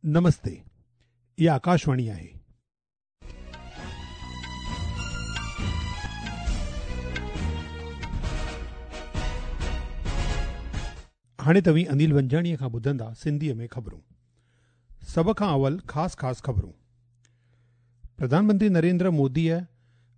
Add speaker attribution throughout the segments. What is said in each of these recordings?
Speaker 1: نمستي، اها آڪاشواڻي آهي. هاڻي توهين انيل ونجاڻيء کان ٻڌندا سنڌيء ۾ خبرون. سڀ کان اول خاص خاص خبرون. پرڌان منتري نريندر موديء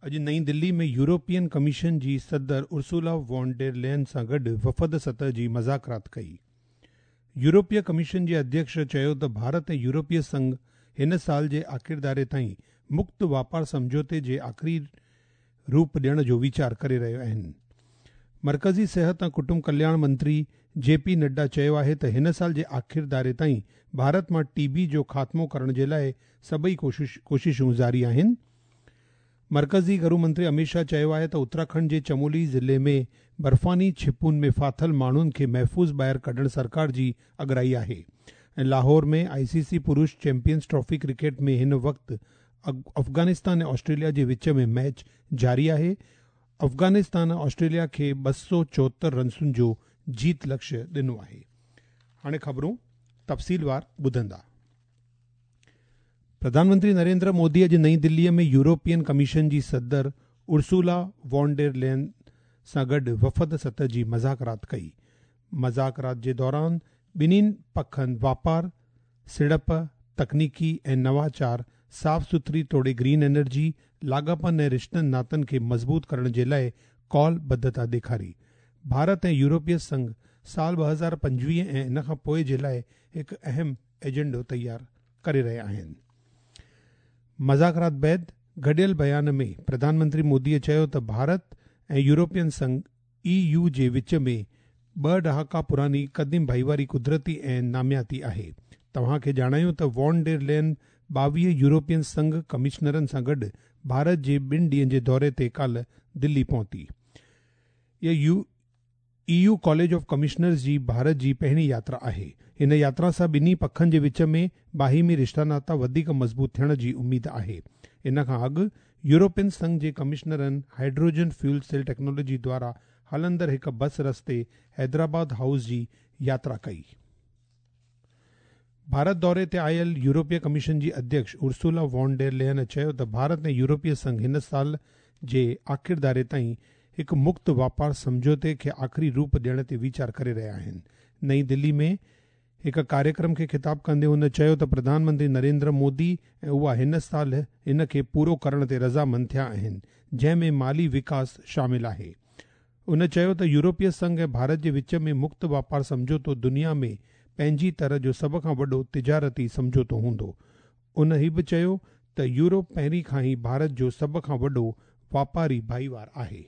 Speaker 1: اڄ نئين دلي ۾ يورپين ڪميشن جي صدر ارسولا وون ڊير لين سان گڏ وفد سطح جي مذاڪرات ڪئي. يورپي ڪميشن جي اڌيڪش چيو ته ڀارت ۽ يورپي سنگهه هن سال جي آخرڌاري تائين مڪت واپار سمجهوتي جي آخري روپ ڏيڻ جو ويچار ڪري رهيا آهن. مرڪزي صحت ۽ ڪٽنب ڪلياڻ منتري جي پي نڊا چيو آهي ته هن سال جي آخرڌاري تائين ڀارت مان ٽي بي جو خاتمو ڪرڻ جي لاء سڀئي ڪوششون جاري آهن. مرڪزي گهرو منتري اميت شاهه چيو آهي ته اتراکنڊ جي چمولي ضلعي ۾ برفاني ڇپون ۾ ڦاٿل ماڻهن کي محفوظ ٻاهر ڪڍڻ سرڪار جي اڳرائي آهي ۽ لاهور ۾ آء سي سي پرش چيمپيئنز ٽرافي ڪرڪيٽ ۾ هن وقت افغانستان ۽ آسٽريليا جي وچ ۾ ميچ جاري آهي، افغانستان آسٽريليا کي 274 رنسن جو جيت لڪشيه ڏنو آهي. هاڻي خبرون تفصيلوار ٻڌندا. پرڌان منتري نريندر مودي اڄ نئين دليء ۾ يورپين ڪميشن جي صدر ارسولا وون ڊير لين سان گڏ وفد سطح جي مذاڪرات ڪئي. مذاڪرات جي دوران ٻنهين پکن واپار، سيڙپ، تڪنيڪي ۽ نواچار، صاف سٿري توڙي گرين انرجي، لاڳاپن ۽ رشتن ناتن کي مضبوط ڪرڻ جي لاء ڪال ٻڌتا ڏيکاري. ڀارت ۽ يورپي سنگهه سال 2025 ۽ ان کان پوء جي لاء هڪ اهم ايجنڊو تيار ڪري رهيا آهن. مذاڪرات بعد گڏيل بيان ۾ پرڌان منتري موديء چيو ته ڀارت ۽ يورپين سنگهه، اي يو، جي وچ ۾ ٻه ڏهاڪا پراڻي قديم ڀائيواري قدرتي ۽ نامياتي آهي. توهان کي ڄاڻايون ته وون ڊير لين 22 يورپين سنگهه ڪمشنرن سان گڏ ڀارت جي ٻن ڏينهن جي دوري تي ڪالهه دلي پهتي. اها E U college of commissioners جي ڀارت جي پهرين ياترا آهي. هن ياترا سان ٻنهي پکن جي وچ ۾ باهمي رشتا ناتا وڌيڪ مضبوط ٿيڻ جي اميد آهي. ان کان اڳ يورپين سنگهه جي ڪمشنرن هائيڊروجن فيول سيل ٽيڪنالاجي دوارا هلندڙ هڪ بس رستي حيدرآباد هائوس جي ياترا ڪئي. ڀارت دوري تي آيل يورپي ڪميشن جي اڌيڪش ارسولا وون ڊير لين چيو ته ڀارت ۽ يورپي سنگهه هن سال جي آخرڌاري تائين هڪ مڪت واپار سمجهوتي کي آخري روپ ڏيڻ تي ويچار ڪري رهيا آهن. نئين دلي ۾ هڪ ڪاريڪرم کي خطاب ڪندي هن چيو ته پرڌان منتري نريندر مودي ۽ اها هن سال ان کي پورو ڪرڻ تي رضامند ٿيا آهن جنهن ۾ مالي وڪاس شامل آهي. هن چيو ته يورپي سنگهه ۽ ڀارت جي وچ ۾ مڪت واپار سمجهوتو دنيا ۾ پنهنجي طرح جو سڀ کان وڏو تجارتي سمجهوتو هوندو. هن هي به چيو ته يورپ پهرين کان ئي ڀارت جو سڀ کان وڏو واپاري ڀائيوار آهي.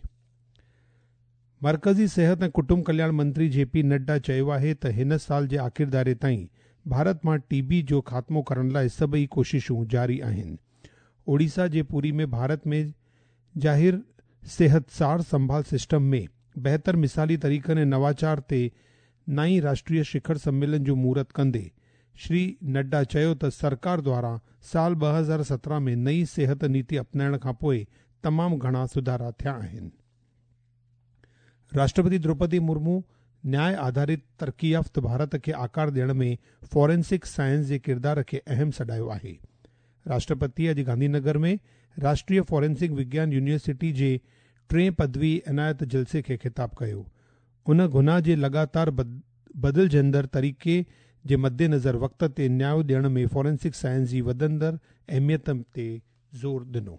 Speaker 1: مرڪزي صحت ۽ ڪٽنب ڪلياڻ منتري جي پي نڊا چيو آهي ته هن سال جي آخرڌاري تائين ڀارت مان ٽي بي جو خاتمو ڪرڻ لاء سڀئي ڪوششون جاري آهن. اوڙيسا جي پوري ۾ ڀارت ۾ ظاهر صحت سار سنڀال سسٽم ۾ بهتر مثالي طريقن ۽ نواچار تي نائين راشٽريه شکر سميلن جو مهورت ڪندي شري نڊا چيو ته سرڪار دوارا سال 2017 ۾ نئين صحت نيتي اپنائڻ کان پوء تمام گهڻا سڌارا ٿيا آهن. راشٽرپتي دروپدي مرمو نياء آڌارت ترقي يافته ڀارت کي آڪار ڏيڻ ۾ فارينسڪ سائنس جي ڪردار کي اهم سڏايو آهي. راشٽرپتي اڄ گانڌي نگر ۾ راشٽريه فارينسڪ وگيان يونيورسٽي جي ٽئين پدوي عنايت جلسي کي خطاب ڪيو. ان گناهه جي لڳاتار بدلجندڙ طريقي جي مدنظر وقت تي نياء ڏيڻ ۾ فارينسڪ سائنس جي وڌندڙ اهميت تي زور ڏنو.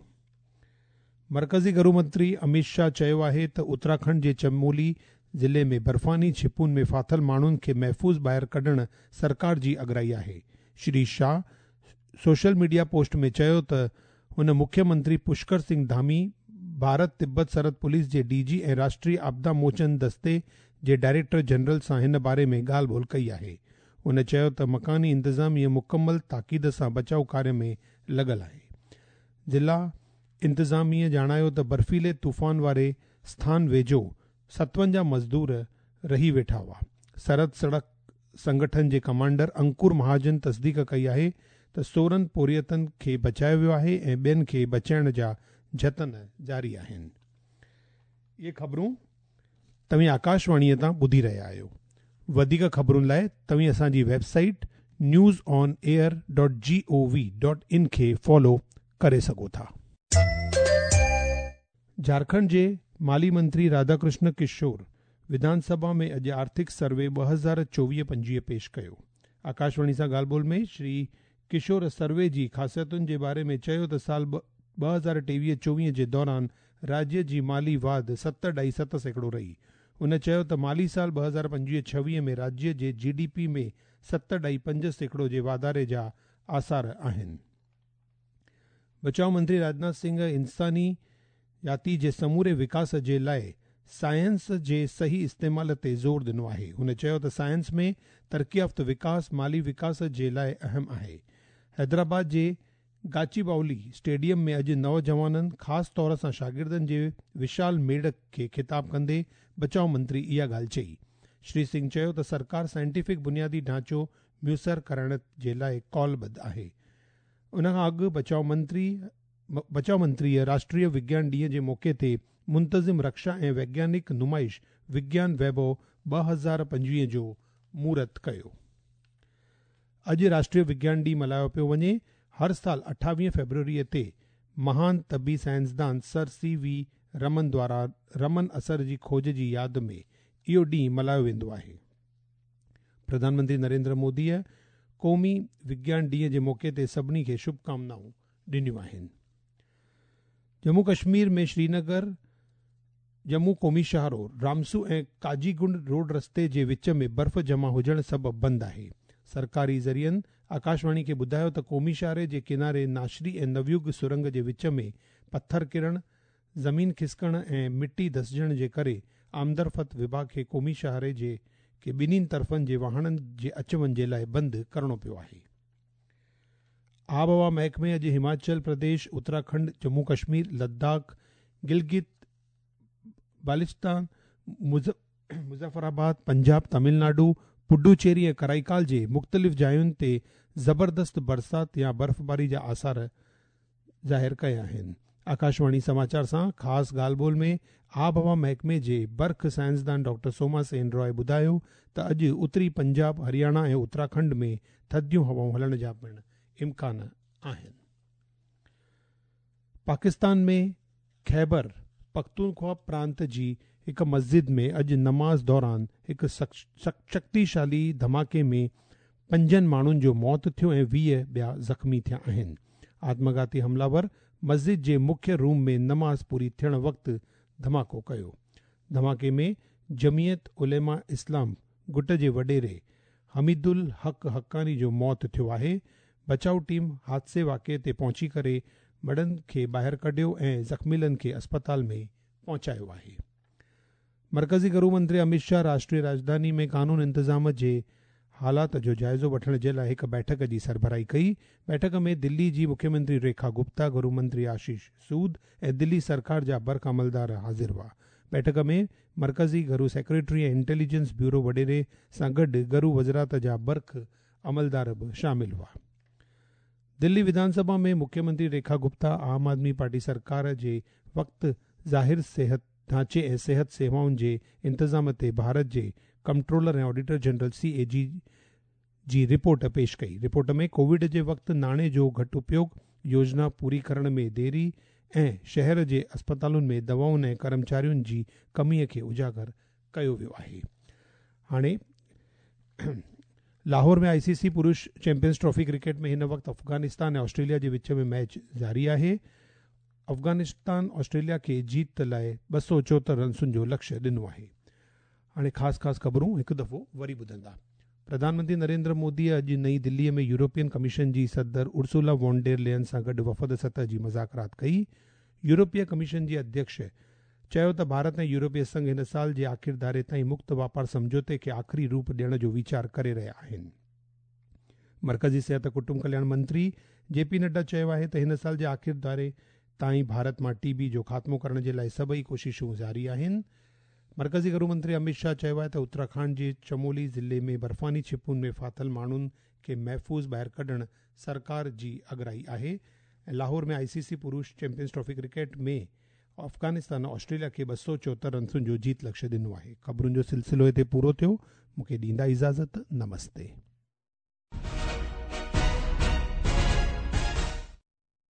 Speaker 1: مرڪزي گهرو منتري اميت شاهه چيو آهي ته اتراکنڊ جي چمولي ضلعي ۾ برفاني ڇپون ۾ ڦاٿل ماڻهن کي محفوظ ٻاهر ڪڍڻ سرڪار جي اڳرائي آهي. Shri Shah social media post ۾ چيو ته هن مکيه منتري پشڪر سنگهه ڌامي، ڀارت تبت سرحد پوليس جي ڊي جي ۽ راشٽريه آپدا موچن دستي جي ڊائريڪٽر جنرل سان هن باري ۾ ڳالهه ٻولهه ڪئي آهي. هن چيو ته مڪاني انتظاميه مڪمل تاڪيد سان بچاء ڪاريه ۾ لڳل آهي. ضلع انتظاميه ڄاڻايو ته برفيلي طوفان واري اسٿان ويجهو 57 مزدور رهي ويٺا هئا. سرحد سڙڪ سنگٺن جي ڪمانڊر انڪر مهاجن تصديق ڪئي آهي ته 16 پورهيتن کي بچايو ويو آهي ۽ ٻين کي بچائڻ جا جتن جاري آهن. اهي خبرون توهين آڪاشواڻيء تان ٻڌي رهيا آهيو. وڌيڪ خبرن لاء توهين اسان جي web site News on air dot G O V dot in کي فالو ڪري سگهو ٿا. جهارکنڊ جي مالي منتري راڌا ڪرشن ڪشور وڌان سڀا ۾ اڄ آرٿڪ سروي 2024 25 پيش ڪيو. آڪاشواڻي سان ڳالهه ٻولهه ۾ شري ڪشور سروي جي خاصيتن جي باري ۾ چيو ته سال 2023 24 جي دوران راجيه جي مالي واڌ ست اڍائي ست سيڪڙو رهي. هن چيو ته مالي سال 2025 26 ۾ راجيه جي جي ڊي پي ۾ ست اڍائي پنج سيڪڙو جي واڌاري جا آثار آهن. بچاء منتري راجناٿ سنگهه انساني جاتي جي سموري وڪاس جي لاء سائنس جي صحيح استعمال تي زور ڏنو آهي. هن چيو ته سائنس ۾ ترقيافته وڪاس مالي وڪاس جي لاء اهم آهي. حيدرآباد جي گاچيباولي اسٽيڊيم ۾ اڄ نوجوانن خاص طور سان شاگردن جي وشال ميڙ کي خطاب ڪندي بچاء منتري اها ڳالهه چئي. شري سنگهه چيو ته سرڪار سائنٽيفڪ بنيادي ڍانچو ميسر ڪرائڻ جي لاء قولبڌ آهي. ان کان اڳ بچاء منتري بچاء منتريء راشٽريه وگيان ڏينهن جي موقعي تي منتظم رڪشا ۽ ويگيانڪ نمائش وگيان ويڀو 2025 جو مهورت ڪيو. اڄ راشٽريه وگيان ڏينهن ملهايو پيو وڃي. هر سال 28 فيبروريء تي مهان طبي سائنسدان سر سي وي رمن دوارا رمن اثر جي کوج جي ياد ۾ اهو ڏينهن ملهايو ويندو آهي. پرڌان منتري نريندر موديء قومي وگيان ڏينهن جي موقعي تي سڀني کي شڀ ڪامنائون ڏنيون آهن. ڄمون ڪشمير ۾ شرينگر ڄمون قومي شاهراهه رامسو ۽ قاضي گنڊ روڊ رستي جي وچ ۾ برف جمع هجڻ سبب بند آهي. سرڪاري ذريعن آڪاشواڻي کي ٻڌايو ته قومي شاهراهه جي ڪناري ناشري ۽ نويوگ سرنگ جي وچ ۾ پٿر ڪرڻ، زمين کسڪڻ ۽ مٽي ڌسجڻ جي ڪري آمدرفت وڀاڳ کي قومي شاهراهه جي کي ٻنهين طرفن جي واهڻن جي اچ وڃ جي لاء بند ڪرڻو پيو آهي. آبهوا محڪمي اڄ هماچل پرديش، اتراکنڊ، ڄمون ڪشمير، لداخ، گلگت بالتستان، مظفر آباد، پنجاب، تامل ناڊو، پڊوچيري ۽ ڪرائيڪال جي مختلف جاين تي زبردست برسات يا برفباري جا آثار ظاهر ڪيا آهن. آڪاشواڻي سماچار سان خاص ڳالهه ٻولهه ۾ آبهوا محڪمي جي برک سائنسدان ڊاڪٽر سوما سين راء ٻڌايو ته اڄ اتري پنجاب، هرياڻا ۽ اتراکنڊ ۾ ٿڌيون هوائون هلڻ جا پڻ امڪان آهن. پاڪستان ۾ خيبر پختونخوا پرانت جي هڪ مسجد ۾ اڄ نماز دوران هڪ شڪتيشالي ڌماڪي ۾ پنجن ماڻهن جو موت ٿيو ۽ 20 ٻيا زخمي ٿيا آهن. آتمگهاتي حمله ور مسجد جي مکيه روم ۾ نماز پوري ٿيڻ وقت ڌماڪو ڪيو. ڌماڪي ۾ جمعيت علماء اسلام گٽ جي وڏيري حميد الحق حقاني جو موت ٿيو آهي. بچاء ٽيم حادثي واقعي تي پهچي ڪري مڙهن کي ٻاهر ڪڍيو ۽ زخميلن کي اسپتال ۾ پهچايو آهي. مرڪزي گهرو منتري اميت شاهه راشٽريه راڄڌاني ۾ قانون انتظام جي حالات جو جائزو وٺڻ جي لاء هڪ بيٺڪ جي سربراهي ڪئي. بيٺڪ ۾ دلي جي مکيمنتري ريکا گپتا، گهرو منتري آشيش سود ۽ دلي سرڪار جا برک عملدار حاضر هئا. بيٺڪ ۾ مرڪزي گهرو سيڪريٽري ۽ انٽيليجنس بيورو وڏيري سان گڏ گهرو وزارت جا برک عملدار به شامل هئا. دلي وڌان سڀا ۾ مکيمنتري ريکا گپتا عام آدمي پارٽي سرڪار جي وقت ظاهر صحت ڍانچي ۽ صحت سيوائن جي انتظام تي ڀارت جي comptroller ۽ auditor general, C A G, جي رپورٽ پيش ڪئي. رپورٽ ۾ ڪووڊ جي وقت ناڻي جو گهٽ اپيوگ، يوجنا پوري ڪرڻ ۾ ديري ۽ شهر جي اسپتالن ۾ دوائن ۽ ڪرمچارين جي ڪمي کي اجاگر ڪيو ويو آهي. هاڻي لاهور ۾ آء سي سي پرش چيمپيئنز ٽرافي ڪرڪيٽ ۾ هن وقت افغانستان ۽ آسٽريليا جي وچ ۾ ميچ جاري آهي. افغانستان آسٽريليا کي جيت لاء 274 رنسن جو لڪشيه ڏنو آهي. هاڻي خاص خاص خبرون هڪ دفعو وري ٻڌندا. پرڌان منتري نريندر مودي اڄ نئين دلي ۾ يورپين ڪميشن جي صدر ارسولا وون ڊير لين سان گڏ وفد سطح جي مذاڪرات ڪئي. يورپي ڪميشن جي اڌيڪش چيو ته ڀارت ۽ يورپي سنگهه هن سال جي آخر ڌاري تائين مڪت واپار سمجهوتي کي آخري روپ ڏيڻ جو ويچار ڪري رهيا آهن. مرڪزي صحت ڪٽنب ڪلياڻ منتري جي پي نڊا چيو آهي ته هن سال جي آخر ڌاري تائين ڀارت مان ٽي بي جو خاتمو ڪرڻ جي لاء سڀئي ڪوششون جاري آهن. مرڪزي گهرو منتري اميت شاهه چيو آهي ته اتراکنڊ جي چمولي ضلعي ۾ برفاني ڇپون ۾ ڦاٿل ماڻهن کي محفوظ ٻاهر ڪڍڻ سرڪار جي اڳرائي آهي ۽ لاهور ۾ آء سي سي پرش champions trophy cricket ۾ Afghanistan Australia کي 274 رنسن جو جيت لڪشيه ڏنو آهي. خبرن جو سلسلو هتي پورو ٿيو. مون کي ڏيندا اجازت. نمستي.